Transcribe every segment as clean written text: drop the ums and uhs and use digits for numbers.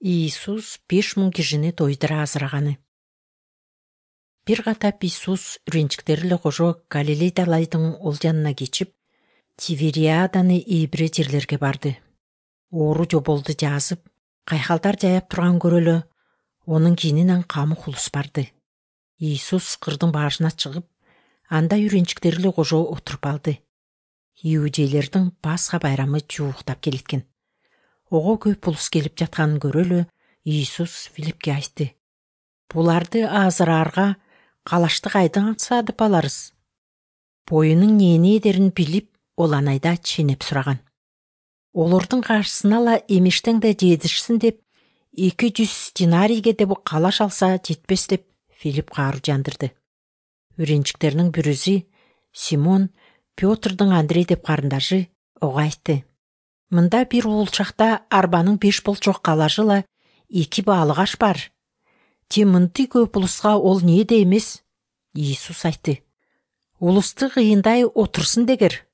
Иисус 5000 кишини тойдура азыраганы. Бир катап Иисус үрүнчүктери эле кошо Галилей далайдын ол жанына кечип, Тивериаданы ийбире жерлерге барды. Оору жоболду жазып, кайхалдар жаяп турган көрөлө, онун кийининен камык улус барды. Иисус кырдын башына чыгып, анда үрүнчүктери эле кошо отуруп алды. Иудейлердин Пасха байрамы жууктап келеткен. Ого көп улус келип жатканын көрөлө, Иисус Филиппке айтты: "Буларды азыраарга калачты кайдан саадып аларыз?" Боюнун нээне эдерин билип, ол анайда ченеп сураган. Олордун каршысына ала эмештен да жетишсин деп 200 динарийге деп калаш алса жетпес деп Филипп каару жандырды. Үрүнчүктеринин бирөөсү Симон, Пётрдун Андрей деп карындашы, ого айтты: "Мында бир уулчакта арбанын 5 болчок калажыла 2 баалык аш бар. Те мынтый көп улуска ол нээде эмес?" Иисус айтты: "Улусту кыйындай отурсун дегер."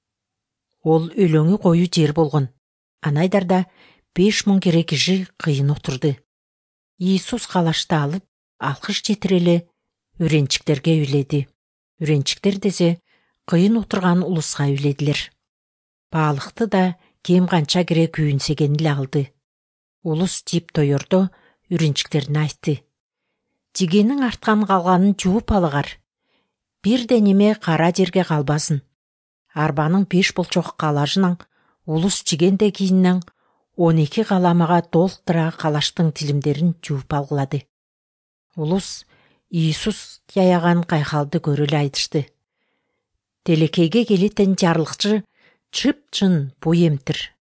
Ол өлөңү кою жер болгон. Анайдарда 5000 кере киши кыйын отурду. Иисус калашты алып, алкыш жетире эле үрүнчүктерге үйледи. Үрүнчүктер десе кыйын отурган улуска үйледилер. Баалыкты да кем канча кере күйүнсөгөн эле алды. Улус жеп тоёрдо үрүнчүктерине айтты: "Жегенин арткан калганын жууп алыгар. Бирде неме кара жерге калбасын." Арбанын 5 болчок калажынан улус жегенде кийинен 12 каламага толтура калаштын тилимдерин жууп алгылады. Улус Иисус жаяган кайхалды көрө эле айтышты. Телекейге келетен жарлыкчы чып-чын бой эмтир.